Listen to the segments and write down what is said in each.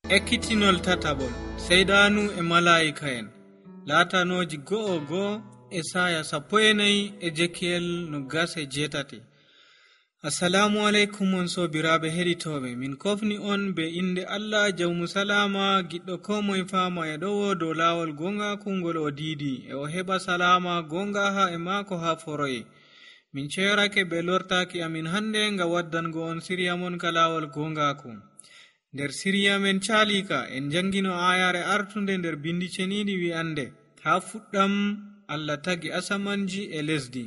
Ekkitinol tatabol seydanu e malaa'ika'en laatanoji 1:1 Esaya 14 e Jekiyel 28. Assalamu alaikum on sobiraaɓe heɗitooɓe, min kofni on be inde Allah jawmu salama giɗɗo ko moye faama e ɗowo dow laawol gongaku ngol o diidi e o heɓa salama gonga ha e maako ha foroye. Min ceerake be lortaaki amin hande nga waddango on siriya mon ka laawol gongaku. Nder siriya men caalika en jangino ayare artunde nder bindi ceniɗi wi'ande ha fuɗɗam Allah tagi asamanji e lesdi.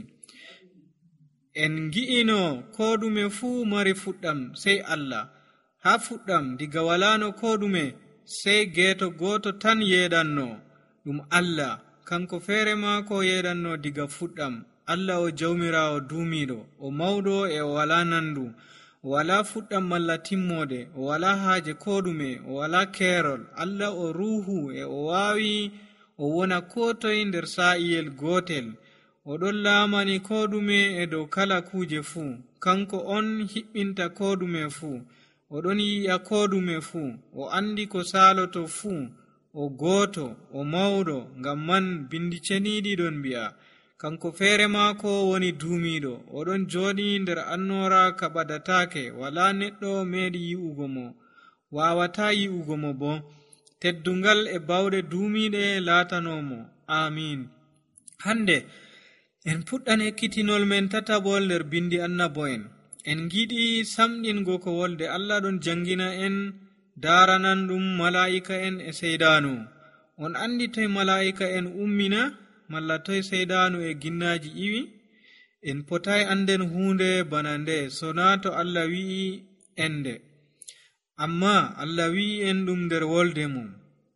En gi'ino ko ɗume fuu mari fuɗɗam sey Allah. Ha fuɗɗam diga walano ko ɗume sey geeto goto tan yeɗanno ɗum Allah, kanko feere maako yeɗanno diga fuɗɗam. Allah o jawmirawo duumiɗo, o mawɗo e o wala nandu, o wala fuɗɗam malla timmode, o wala haaje ko ɗume, o wala keerol. Allah o ruuhu e o waawi o wona ko toye nder sa'iyel gotel. O ɗon laamani ko ɗume e dow kala kuje fuu. Kanko on hiɓɓinta ko ɗume fuu. O ɗon yi'a ko ɗume fuu. O andi ko saaloto fuu. O gooto, o mawɗo. Ngam man bindi ceniɗi ɗon mbi'a kanko feere maako woni duumiɗo. O ɗon jooɗi nder annora ka ɓadataake. Wala neɗɗo meeɗi yi'ugo mo, wawata yi'ugo mo bo. Teddungal e bawɗe duumiɗe laatanomo. Amin. Hande en puɗɗan ekkitinol men tatabol nder bindi annabo'en. En giɗi samɗingo ko wolde Allah ɗon jangina en daranan ɗum mala'ika'en e seydanu. On andi toye mala'ika'en ummina malla toye seydanu e ginnaji iwi? En potai anden hunde bana nde sona to Allah wi'i ende. Amma Allah wi'i en ɗum nder wolde mum.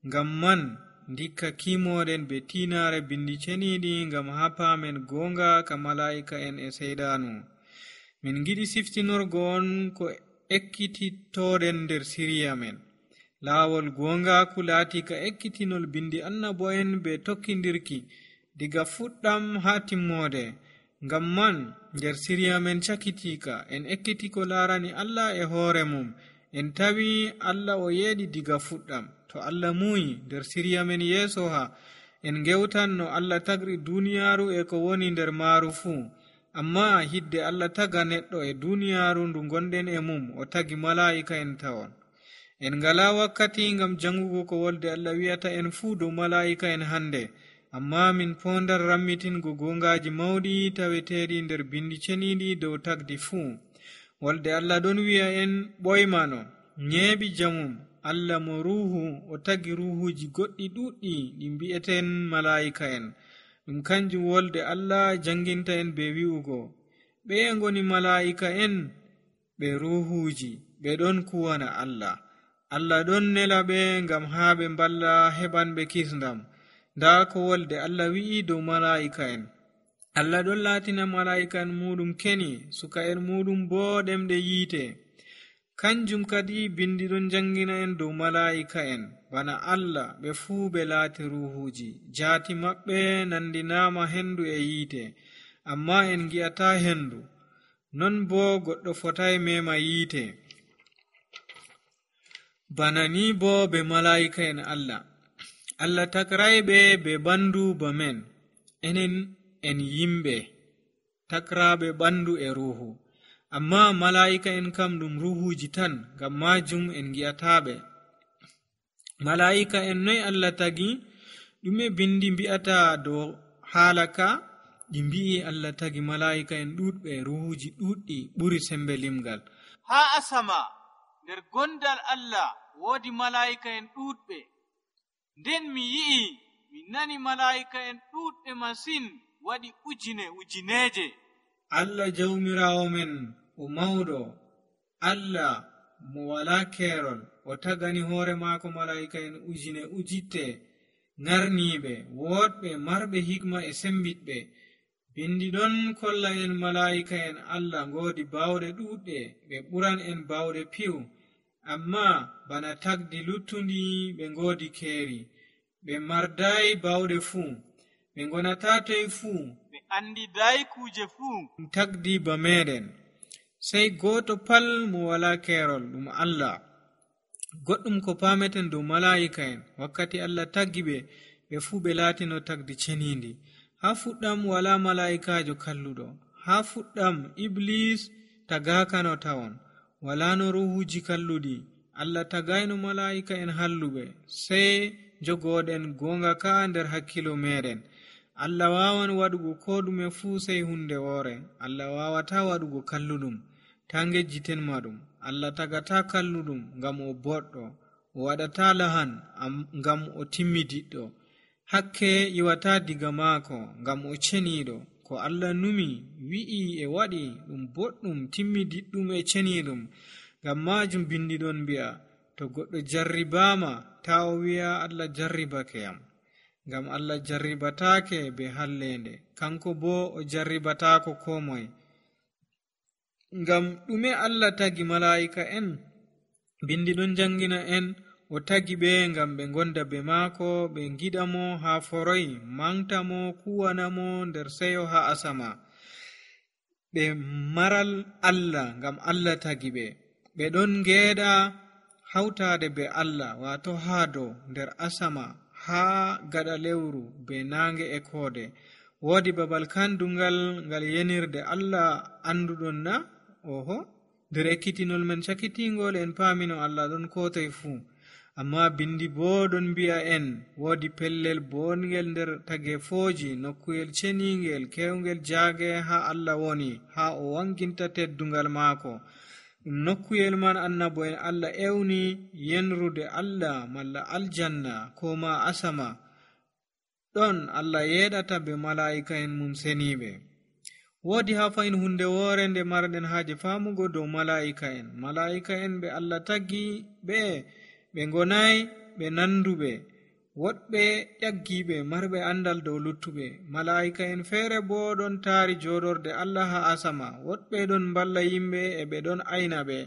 Ngam man ndikka kimoɗen be tinare bindi ceniɗi ngam hapamen gonga ka mala'ika'en e seydanu. Min giɗi siftinorgo on ko ekkititoɗen nder siriya men. Laawol gongaku laati ka ekkitinol bindi annabo'en be tokkindirki diga fuɗɗam ha timmode. Ngam man nder siriya men cakitika en ekkiti ko laarani Allah e hoore mum. En tawi Allah o yeeɗi diga fuɗɗam. To Allah muyi nder siriya men yeeso ha en gewtan no Allah tagri duniyaaru e ko woni nder maaru fuu. Amma hidde Allah taga neɗɗo e duniyaaru ndu gonɗen e mum, o tagi mala'ika en tawon. En ngala wakkati ngam jangugo ko wolde Allah wi'ata en fuu dow mala'ika en hande. Amma min pondar rammitingo gongaji mawɗi taweteɗi nder bindi ceniɗi dow tagdi fuu. Wolde Allah ɗon wi'a en ɓoymano nyeeɓi jamum. Allah mo ruuhu, o tagi ruuhuji goɗɗi ɗuɗɗi ɗi mbi'eten mala'ika en. Ɗum kanjum wolde Allah janginta en be wi'ugo ɓe ngoni mala'ika en ɓe ruuhuji, ɓe ɗon kuwana Allah. Allah ɗon nela ɓe ngam ha ɓe mballa heɓanɓe kisndam. Nda ko wolde Allah wi'i dow mala'ika en. Allah ɗon laatina mala'ika en muɗum keni, suka en muɗum bo ɗemɗe yiite. Kanjum kadi bindi ɗon jangina en dow mala'ika en. Bana Allah ɓe fuu ɓe laati ruhuji, jaati maɓɓe nandinama hendu e yiite, amma en gi'ata hendu. Non bo goɗɗo fotai mema yiite. Bana ni bo be mala'ika en Allah takrayɓe be bandu ba men. Enen en yimɓe takraɓe bandu e ruhu. Amma mala'ika en kam ɗum ruhuji tan, ngam majum en gi'ataɓe. Mala'ika en noy Allah tagi? Ɗume bindi mbi'ata dow halaka? Ɗi mbi'i Allah tagi mala'ika en ɗuɗɓe, ruhuji ɗuɗɗi ɓuri sembe limgal. Ha asama nder gondal Allah woodi mala'ika en ɗuɗɓe. Nden mi yi'i, mi nani mala'ika en ɗuɗɓe masin, waɗi ujineje. Allah jawmirawo men o mawɗo, Allah mo wala keerol, o tagani hoore maako mala'ika en ujitte ngarniiɓe, woɗɓe marɓe hikma e sembiɗɓe. Bindi ɗon kolla en mala'ika en Allah ngoodi bawɗe ɗuɗɗe, ɓe ɓuran en bawɗe piw. Amma bana tagdi luttundi ɓe ngoodi keeri, ɓe mardayi bawɗe fuu, ɓe ngonata toye fuu, ɓe andidayi kuje fuu. Tagdi ba meɗen. Sey goto pal mo wala keerol, ɗum Allah. goɗɗum ko pameten dow mala'ika en wakkati Allah taggi ɓe fuu ɓe laatino tagdi cenindi. Ha fuɗɗam wala mala'ikajo kalluɗo. Ha fuɗɗam iblis tagakano tawon, wala no ruhuji kalluɗi. Allah tagayno mala'ika en halluɓe, sai jogoɗen gonga ka nder hakkilo meɗen. Allah wawan waɗugo ko ɗume fuu sai hunde woore. Allah wawata waɗugo kalluɗum, ta ngejjiten maɗum. Allah tagata kalluɗum ngam o boɗɗo, o waɗata lahan ngam o timmidiɗɗo. Hakke iwata diga maako ngam o ceniɗo. Ko Allah numi wi'i e waɗi ɗum boɗɗum, timmidiɗɗum e ceniɗum. Ngam majum bindiɗon mbi'a, to goɗɗo jarribama ta o wi'a Allah jarribake yam, ngam Allah jarribatake be hallende, kanko bo o jarribatako ko moye. Ngam ɗume Allah tagi mala'ika en? Bindi ɗon jangina en o tagi ɓe ngam ɓe gonda be maako, ɓe giɗamo ha foroy, mantamo, kuwanamo nder seyo ha asama. Ɓe maral Allah ngam Allah tagi ɓe. Ɓe ɗon ngeeɗa hautade be Allah, wato ha dow nder asama, ha gaɗa lewru be nange e koode. Woodi babal kandungal ngal yenirde Allah anduɗon na? Oho, nder ekkitinol men cakitingol en paamino Allah ɗon kotoy fuu. Amma bindi bo ɗon mbi'a en woodi pellel bongel nder tagefoji, nokkuyel ceningel kewngel jaage ha Allah woni, ha o wanginta teddungal maako. Ɗum nokkuyel man annabo en Allah ewni yenrude Allah malla aljanna ko ma asama. Ɗon Allah yeɗata be mala'ika en mum seniɓe. Woodi ha fayin hunde woore nde marɗen haaje famugo dow mala'ika en. Mala'ika en ɓe Allah taggi ɓe gonay ɓe nanduɓe, woɗɓe ƴaggiɓe marɓe andal dow luttuɓe. Mala'ika en feere bo ɗon taari joɗorde Allah ha asama, woɗɓe ɗon mballa yimɓe e ɓe ɗon ayna ɓe.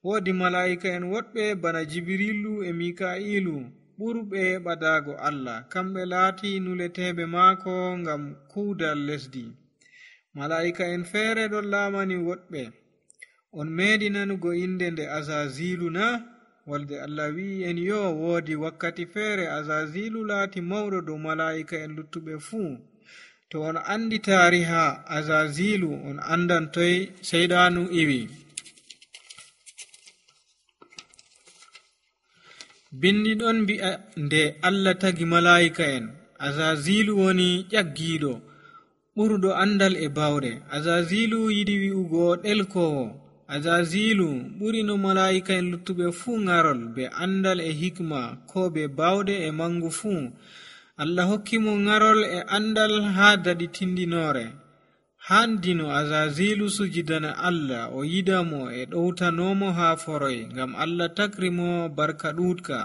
Woodi mala'ika en woɗɓe bana Jibrilu e Mika'ilu ɓurɓe ɓadago Allah, kamɓe laati nuleteɓe maako ngam kuudal lesdi. Mala'ika en feere ɗon laamani woɗɓe. On meeɗi nanugo inde nde Azazilu na? Walde Allah wi'i en yo woodi wakkati feere Azazilu laati mawɗo dow mala'ika en luttuɓe fuu. To on andi taariha Azazilu, on andan toy seyɗanu iwi. Bindi ɗon mbi'a nde Allah tagi mala'ika en, Azazilu woni ƴaggiiɗo ɓurɗo andal e bawɗe. Azazilu yiɗi wi'ugo ɗelkowo. Azazilu ɓuri no mala'ika en luttuɓe fuu ngarol be andal e hikma, ko be bawɗe e mangu fuu. Allah hokki mo ngarol e andal ha daɗi tindinore. Handino Azazilu sujidana Allah, o yidamo e ɗowtanomo ha foroy, ngam Allah takri mo barka ɗuuɗka.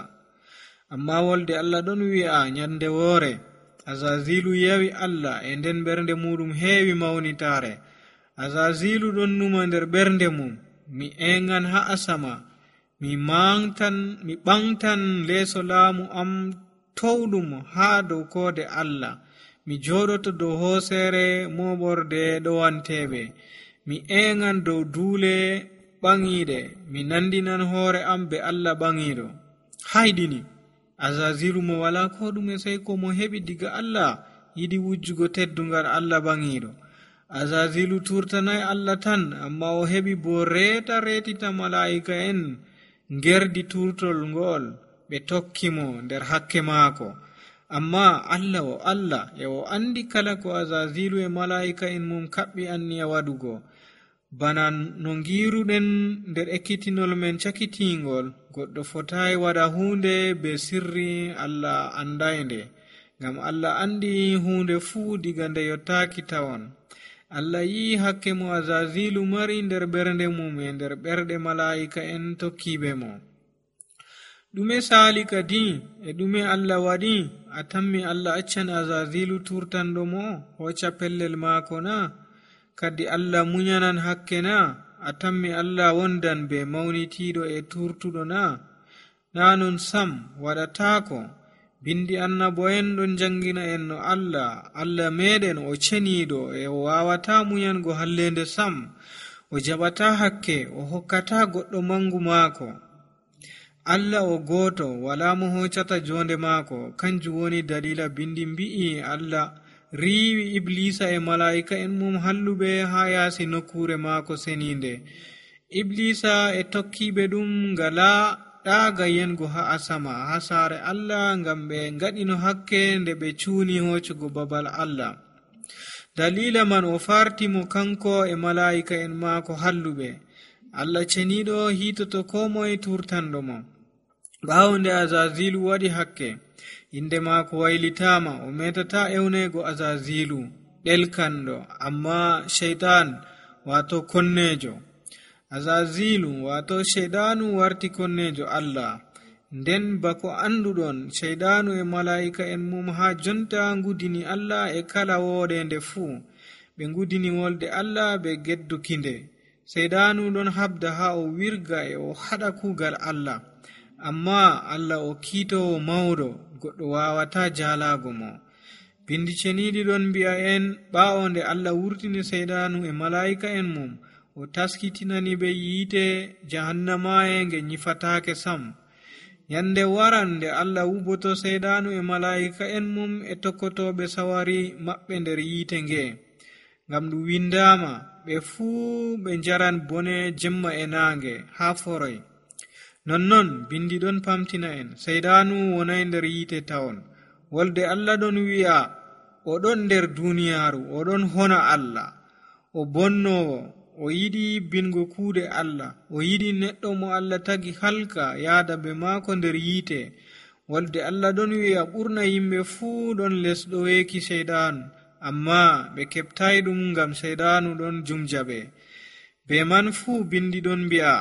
Amma wolde Allah ɗon wi'a nyande woore Azazilu yawi Allah, e nden ɓernde muɗum heewi mawnitare. Azazilu ɗon numa nder ɓernde mum, mi engan ha asama, mi ɓangtan leeso laamu am towɗum ha dow koode Allah, mi joɗoto dow hoosere moɓorde ɗowanteɓe, mi engan dow duule ɓangiɗe, mi nandinan hoore am be Allah ɓangiɗo. Hayɗini Azazilu mo wala ko ɗume sai ko mo heɓi diga Allah, yiɗi wujjugo teddungal Allah ɓangiɗo. Azazilu turtanai Allah tan, amma o heɓi bo retita mala'ika en ngerdi turtol ngol, ɓe tokkimo nder hakke maako. Amma Allah e o andi kala ko Azazilu e mala'ika en mum kaɓɓi anniya waɗugo. Bana no ngiruɗen nder ekkitinol men cakitingol, goɗɗo fotai waɗa hunde be sirri Allah andainde, ngam Allah andi hunde fuu diga nde yottaki tawon. Allah yi hakke mo Azazilu mari nder ɓernde mum e nder ɓerɗe mala'ika en tokkiɓe mo. Ɗume saali kadi e ɗume Allah waɗi? A tammi Allah accan Azazilu turtanɗo mo hocca pellel maako na? Kadi Allah munyanan hakke na? A tammi Allah wondan be mawnitiiɗo e turtuɗo na? Na non sam waɗataako. Bindi annabo'en ɗon jangina en no Allah meɗen o ceniiɗo e o wawata munyango hallende sam, o jaɓata hakke, o hokkata goɗɗo mangu maako. Allah o gooto wala mo hoccata jonde maako. Kanjum woni dalila bindi mbi'i Allah riiwi Iblisa e malaa'ika en mum halluɓe haa yaasi nokkure maako seninde. Iblisa e tokkiɓe ɗum ngala ɗaaga yengo haa asama haa saare Allah ngam ɓe ngaɗino hakke nde ɓe cuuni hoccugo babal Allah. Dalila man o fartimo kanko e malaa'ika en maako halluɓe. Allah ceniɗo hitoto ko moye turtanɗo mo. ɓaawo nde Azazilu waɗi hakke, inde maako waylitama, o metata ewnego Azazilu ɗelkanɗo, amma shaytan wato konnejo. Azazilu wato shaydanu warti konnejo Allah. Nden bako anduɗon shaydanu e malaa'ika en mum haa jonta ngudini Allah e kala woɗende fuu. ɓe ngudini wolde Allah ɓe geddukinde. Shaydanu ɗon habda haa o wirga e o haɗa kuugal Allah. Amma Allah o kiitowo mawɗo, goɗɗo wawata jaalago mo. Bindi ceniɗi ɗon mbi'a en ɓaawo nde Allah wurtini shaydanu e malaa'ika en mum, o taskitinani ɓe yiite jahannamaye nge nyifatake sam. Yande waran nde Allah wuboto shaydanu e malaa'ika en mum e tokkotoɓe sawari maɓɓe nder yiite nge. Ngam ɗum windama ɓe fuu ɓe njaran bone jemma e naange haa foroy. Nonnon bindi ɗon pamtina en shaydanu wonay nder yiite tawon. Wolde Allah ɗon wi'a o ɗon nder duniyaaru, o ɗon hona Allah, o bonnowo, o yiɗi bingo kuuɗe Allah, o yiɗi neɗɗo mo Allah tagi halka yaada be maako nder yiite. Wolde Allah ɗon wi'a ɓurna yimɓe fuu ɗon lesɗo weeki shaydanu, amma ɓe keɓtay ɗum ngam shaydanu ɗon jumja ɓe. Be man fuu bindi ɗon mbi'a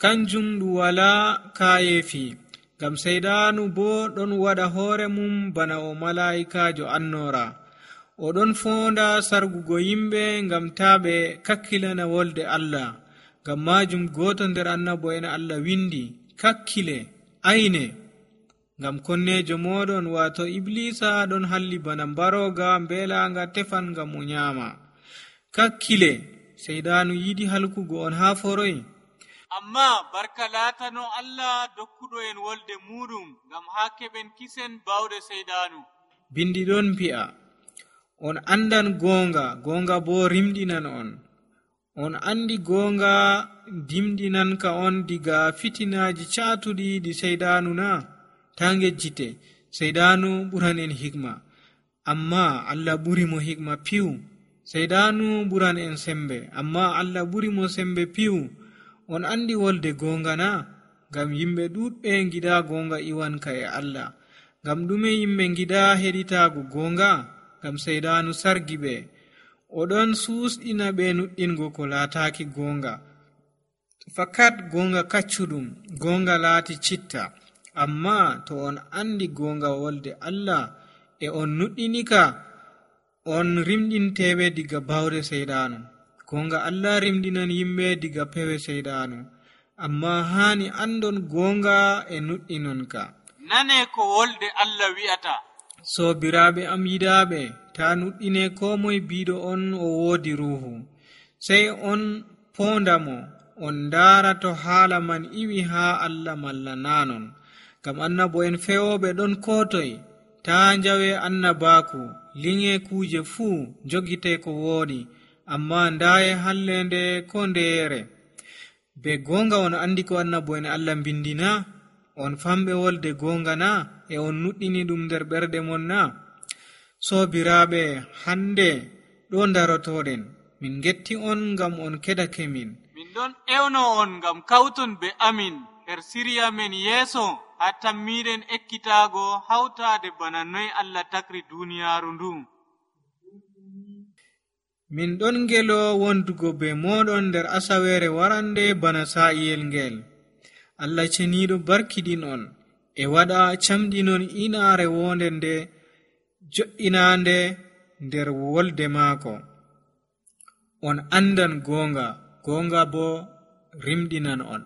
kanjum ɗum wala kayefi, ngam shaydanu bo ɗon waɗa hoore mum bana o malaa'ikajo annora. O ɗon fonda sargugo yimɓe ngam taa ɓe kakkilana wolde Allah. Ngam majum goto nder annabo en Allah windi, kakkile, ayne, ngam konnejo moɗon wato Iblisa ɗon halli bana mbaroga mbelanga tefan ngam o nyama. Kakkile, shaydanu yiɗi halkugo on haa foroy. Amma barka laatano Allah dokkuɗo en wolde muɗum ngam haa keɓen kisen bawɗe shaydanu. Bindi ɗon mbi'a on andan goonga, goonga bo rimɗinan on. On andi goonga dimɗinanka on diga fitinaji caatuɗi ɗi shaydanu na? Ta ngejjite, shaydanu ɓuran en hikma, amma Allah ɓuri mo hikma piw. Shaydanu ɓuran en sembe, amma Allah ɓuri mo sembe piw. On andi wolde goonga na? Ngam yimɓe ɗuɗɓe giɗa goonga iwanka e Allah. Ngam ɗume yimɓe giɗa heɗitago goonga? Ngam shaydanu sargi ɓe. Oɗon susɗina ɓe nuɗɗingo ko laataki goonga. Fakat goonga kaccuɗum, goonga laati citta. Amma to on andi goonga wolde Allah e on nuɗɗinika, on rimɗinteɓe diga bawde shaydanu. Goonga Allah rimɗinan yimɓe diga pewe shaydanu. Amma hani andon goonga e nuɗɗinonka. Nane ko wolde Allah wi'ata. Sobiraɓe am yiɗaɓe, ta nuɗɗine ko moye biɗo on o woodi ruhu. Sey on pondamo, on ndaara to haala man iwi haa Allah malla nanon. Ngam annabo en fewoɓe ɗon kotoy. Ta njawe annabaku, linge kuje fuu, jogite ko woodi, amma ndaye hallende ko ndeere. Be goonga on andi ko annabo en Allah mbindina? On famɓe wolde goonga na? E on nuɗɗini ɗum nder ɓerɗe mon na? Sobiraɓe, hande ɗo darotoɗen. Min getti on ngam on kedake min. Min ɗon ewno on ngam kawton be amin her siriya men yeeso haa tammiɗen ekkitago hawtade bana noy Allah takri duniyaaru ndu. Min ɗon ngelo wondugo be moɗon nder asawere warande bana sa'iyel ngel. Allah ceniɗo barkiɗin on e waɗa camɗinon inaare wonde nde jo'inande nder wolde maako. On andan goonga, goonga bo rimɗinan on.